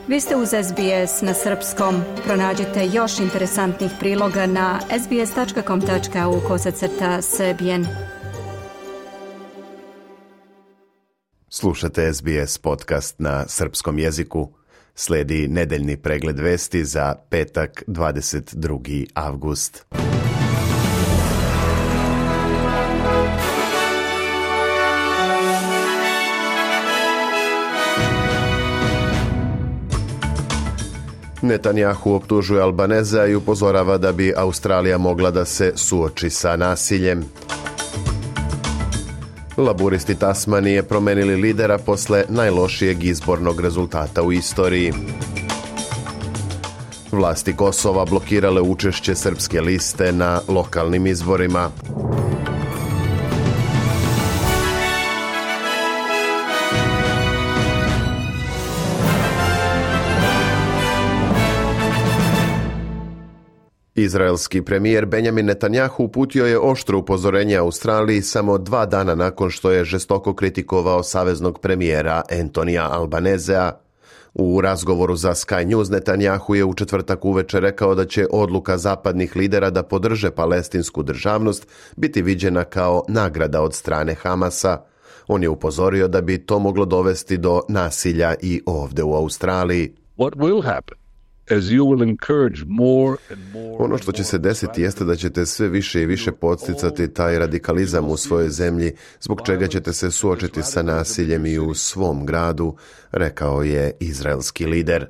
Vi ste uz SBS na srpskom. Pronađite još interesantnih priloga na sbs.com.au/srbijen. Slušate SBS podcast na srpskom jeziku. Slijedi nedeljni pregled vesti za petak 22. avgust. Netanjahu optužuje Albaneza i upozorava da bi Australija mogla da se suoči sa nasiljem. Laburisti Tasmanije promenili lidera posle najlošijeg izbornog rezultata u istoriji. Vlasti Kosova blokirale učešće srpske liste na lokalnim izborima. Izraelski premijer Benjamin Netanjahu uputio je oštro upozorenje Australiji samo 2 dana nakon što je žestoko kritikovao saveznog premijera Antonija Albanezea. U razgovoru za Sky News Netanjahu je u četvrtak uveče rekao da će odluka zapadnih lidera da podrže palestinsku državnost biti viđena kao nagrada od strane Hamasa. On je upozorio da bi to moglo dovesti do nasilja i ovde u Australiji. What will happen? Ono što će se desiti jeste da ćete sve više i više podsticati taj radikalizam u svojoj zemlji, zbog čega ćete se suočiti sa nasiljem i u svom gradu, rekao je izraelski lider.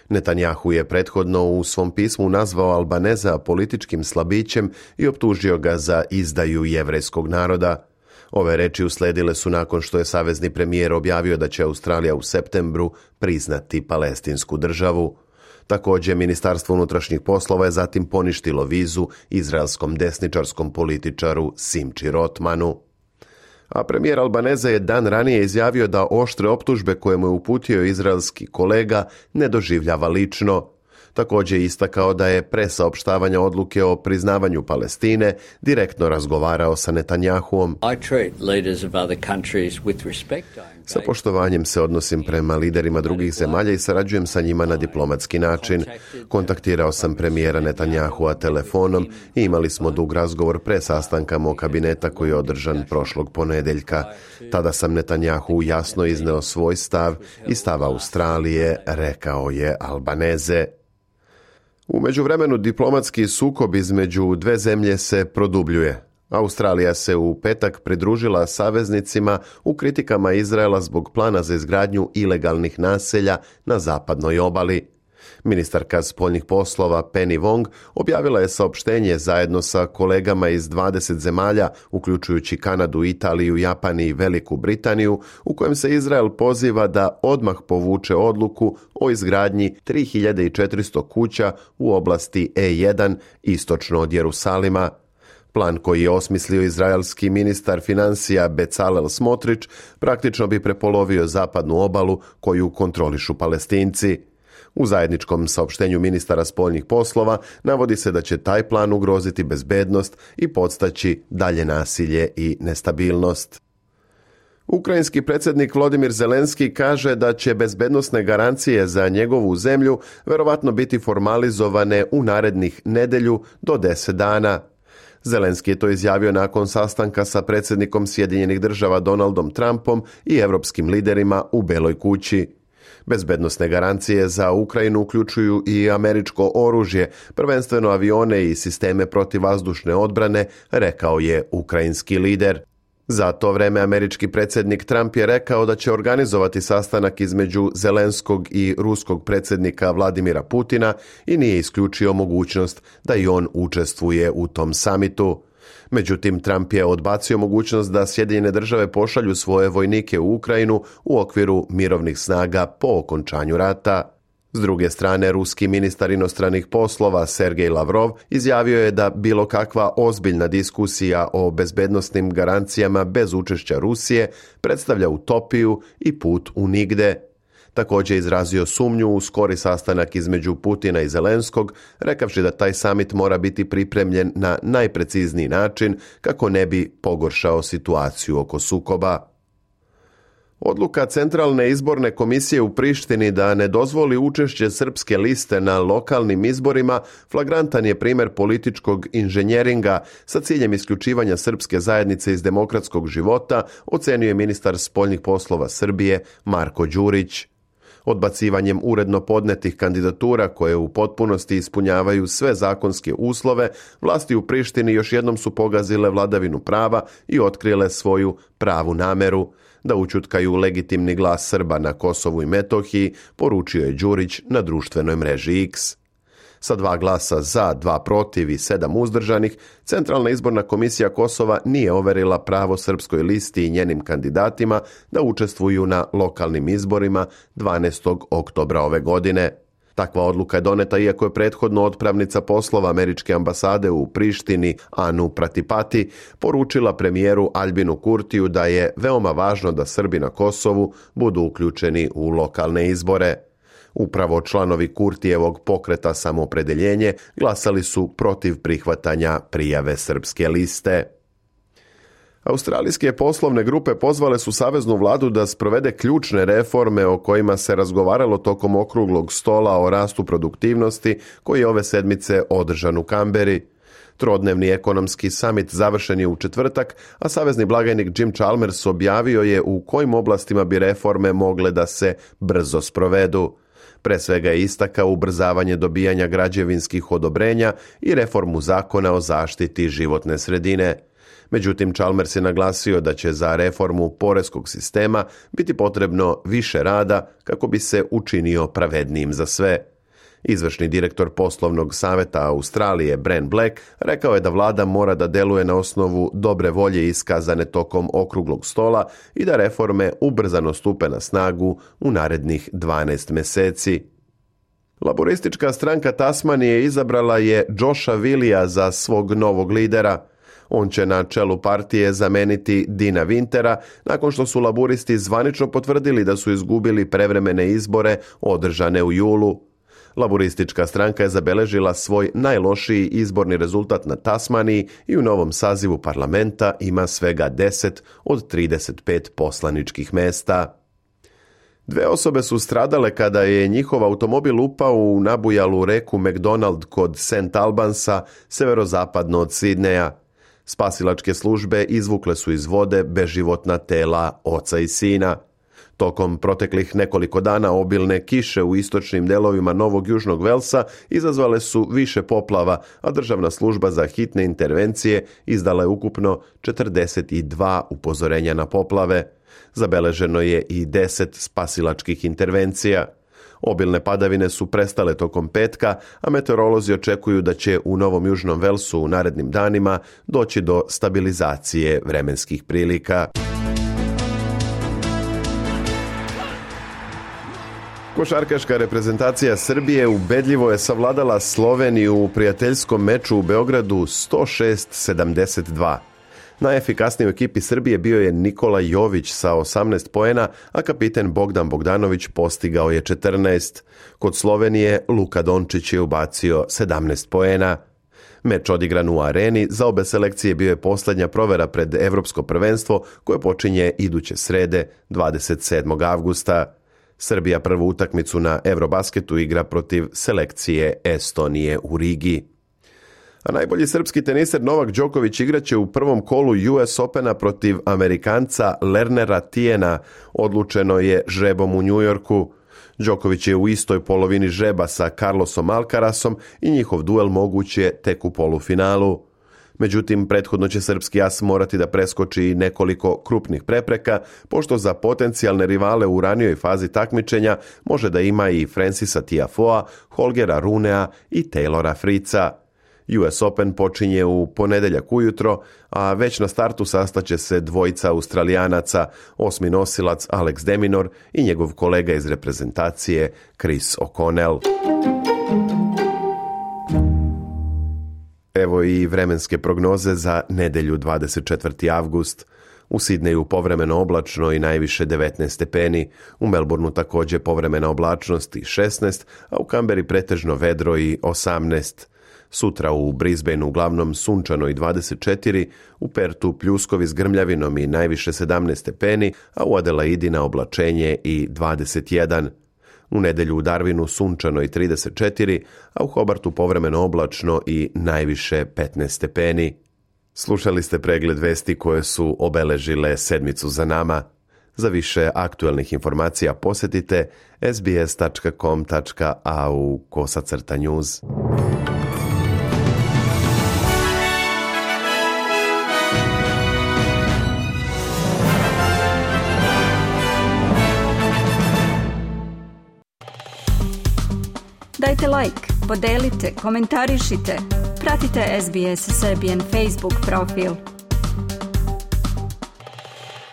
Netanjahu je prethodno u svom pismu nazvao Albaneza političkim slabićem i optužio ga za izdaju jevrejskog naroda. Ove reči usledile su nakon što je savezni premijer objavio da će Australija u septembru priznati palestinsku državu. Također, Ministarstvo unutrašnjih poslova je zatim poništilo vizu izraelskom desničarskom političaru Simči Rotmanu. A premijer Albaneza je dan ranije izjavio da oštre optužbe koje mu je uputio izraelski kolega ne doživljava lično. Također je istakao da je pre saopštavanja odluke o priznavanju Palestine direktno razgovarao sa Netanjahuom. Sa poštovanjem se odnosim prema liderima drugih zemalja i sarađujem sa njima na diplomatski način. Kontaktirao sam premijera Netanjahua telefonom i imali smo dug razgovor pre sastanka mog kabineta koji je održan prošlog ponedjeljka. Tada sam Netanjahu jasno izneo svoj stav i stav Australije, rekao je Albaneze. U međuvremenu diplomatski sukob između dve zemlje se produbljuje. Australija se u petak pridružila saveznicima u kritikama Izraela zbog plana za izgradnju ilegalnih naselja na zapadnoj obali. Ministarka spoljnih poslova Penny Wong objavila je saopštenje zajedno sa kolegama iz 20 zemalja, uključujući Kanadu, Italiju, Japan i Veliku Britaniju, u kojem se Izrael poziva da odmah povuče odluku o izgradnji 3400 kuća u oblasti E1 istočno od Jerusalima. Plan koji je osmislio izraelski ministar financija Bezalel Smotrich praktično bi prepolovio zapadnu obalu koju kontrolišu Palestinci. U zajedničkom saopštenju ministara spoljnih poslova navodi se da će taj plan ugroziti bezbednost i podstaći dalje nasilje i nestabilnost. Ukrajinski predsjednik Volodymyr Zelenski kaže da će bezbednosne garancije za njegovu zemlju verovatno biti formalizovane u narednih nedelju do 10 dana. Zelenski je to izjavio nakon sastanka sa predsjednikom Sjedinjenih Država Donaldom Trumpom i europskim liderima u Beloj kući. Bezbednosne garancije za Ukrajinu uključuju i američko oružje, prvenstveno avione i sisteme protivvazdušne odbrane, rekao je ukrajinski lider. Za to vreme američki predsjednik Trump je rekao da će organizovati sastanak između Zelenskog i ruskog predsjednika Vladimira Putina i nije isključio mogućnost da i on učestvuje u tom samitu. Međutim, Trump je odbacio mogućnost da Sjedinjene Države pošalju svoje vojnike u Ukrajinu u okviru mirovnih snaga po okončanju rata. S druge strane, ruski ministar inostranih poslova Sergej Lavrov izjavio je da bilo kakva ozbiljna diskusija o bezbednosnim garancijama bez učešća Rusije predstavlja utopiju i put u nigde. Također izrazio sumnju u skori sastanak između Putina i Zelenskog, rekavši da taj samit mora biti pripremljen na najprecizniji način kako ne bi pogoršao situaciju oko sukoba. Odluka Centralne izborne komisije u Prištini da ne dozvoli učešće srpske liste na lokalnim izborima flagrantan je primjer političkog inženjeringa sa ciljem isključivanja srpske zajednice iz demokratskog života, ocenio je ministar spoljnih poslova Srbije Marko Đurić. Odbacivanjem uredno podnetih kandidatura koje u potpunosti ispunjavaju sve zakonske uslove, vlasti u Prištini još jednom su pogazile vladavinu prava i otkrile svoju pravu nameru da ućutkaju legitimni glas Srba na Kosovu i Metohiji, poručio je Đurić na društvenoj mreži X. Sa 2 glasa za, 2 protiv i 7 uzdržanih, Centralna izborna komisija Kosova nije overila pravo srpskoj listi i njenim kandidatima da učestvuju na lokalnim izborima 12. oktobra ove godine. Takva odluka je doneta iako je prethodno otpravnica poslova američke ambasade u Prištini Anu Pratipati poručila premijeru Aljbinu Kurtiju da je veoma važno da Srbi na Kosovu budu uključeni u lokalne izbore. Upravo članovi Kurtijevog pokreta Samoopredeljenje glasali su protiv prihvatanja prijave srpske liste. Australijske poslovne grupe pozvale su saveznu vladu da sprovede ključne reforme o kojima se razgovaralo tokom okruglog stola o rastu produktivnosti koji je ove sedmice održan u Kamberi. Trodnevni ekonomski samit završen je u četvrtak, a savezni blagajnik Jim Chalmers objavio je u kojim oblastima bi reforme mogle da se brzo sprovedu. Pre svega je istakao ubrzavanje dobijanja građevinskih odobrenja i reformu zakona o zaštiti životne sredine. Međutim, Chalmers je naglasio da će za reformu poreskog sistema biti potrebno više rada kako bi se učinio pravednijim za sve. Izvršni direktor poslovnog saveta Australije, Bren Black, rekao je da vlada mora da deluje na osnovu dobre volje iskazane tokom okruglog stola i da reforme ubrzano stupe na snagu u narednih 12 meseci. Laboristička stranka Tasmanije izabrala je Josha Willija za svog novog lidera. On će na čelu partije zameniti Dina Wintera nakon što su laburisti zvanično potvrdili da su izgubili prevremene izbore održane u julu. Laboristička stranka je zabeležila svoj najlošiji izborni rezultat na Tasmaniji i u novom sazivu parlamenta ima svega 10 od 35 poslaničkih mesta. 2 osobe su stradale kada je njihov automobil upao u nabujalu reku McDonald kod St. Albansa, severozapadno od Sidneja. Spasilačke službe izvukle su iz vode beživotna tela oca i sina. Tokom proteklih nekoliko dana obilne kiše u istočnim delovima Novog Južnog Velsa izazvale su više poplava, a Državna služba za hitne intervencije izdala je ukupno 42 upozorenja na poplave. Zabeleženo je i 10 spasilačkih intervencija. Obilne padavine su prestale tokom petka, a meteorolozi očekuju da će u Novom Južnom Velsu u narednim danima doći do stabilizacije vremenskih prilika. Košarkaška reprezentacija Srbije ubedljivo je savladala Sloveniju u prijateljskom meču u Beogradu 106-72. Najefikasniji u ekipi Srbije bio je Nikola Jović sa 18 poena, a kapiten Bogdan Bogdanović postigao je 14. Kod Slovenije Luka Dončić je ubacio 17 poena. Meč odigran u areni za obe selekcije bio je posljednja provera pred Evropsko prvenstvo koje počinje iduće srede 27. avgusta. Srbija prvu utakmicu na Eurobasketu igra protiv selekcije Estonije u Rigi. A najbolji srpski teniser Novak Đoković igraće u prvom kolu US Opena protiv Amerikanca Lernera Tiena, odlučeno je žrebom u Njujorku. Đoković je u istoj polovini žreba sa Carlosom Alcarasom i njihov duel moguć je tek u polufinalu. Međutim, prethodno će srpski as morati da preskoči nekoliko krupnih prepreka, pošto za potencijalne rivale u ranijoj fazi takmičenja može da ima i Francisa Tiafoea, Holgera Runea i Taylora Fritza. US Open počinje u ponedeljak ujutro, a već na startu sastaće se dvojica Australijanaca, 8. nosilac Alex de Minaur i njegov kolega iz reprezentacije Chris O'Connell. Evo i vremenske prognoze za nedelju 24. avgust. U Sidneju povremeno oblačno i najviše 19 stepeni, u Melbourneu također povremena oblačnost i 16, a u Kamberi pretežno vedro i 18. Sutra u Brisbaneu uglavnom sunčano i 24, u Pertu pljuskovi s grmljavinom i najviše 17 stepeni, a u Adelaidi na oblačenje i 21. U nedjelju u Darwinu sunčano i 34, a u Hobartu povremeno oblačno i najviše 15 stepeni. Slušali ste pregled vesti koje su obeležile sedmicu za nama. Za više aktualnih informacija posjetite sbs.com.au/news. Dajte like, podelite, komentarišite. Pratite SBS Serbian Facebook profil.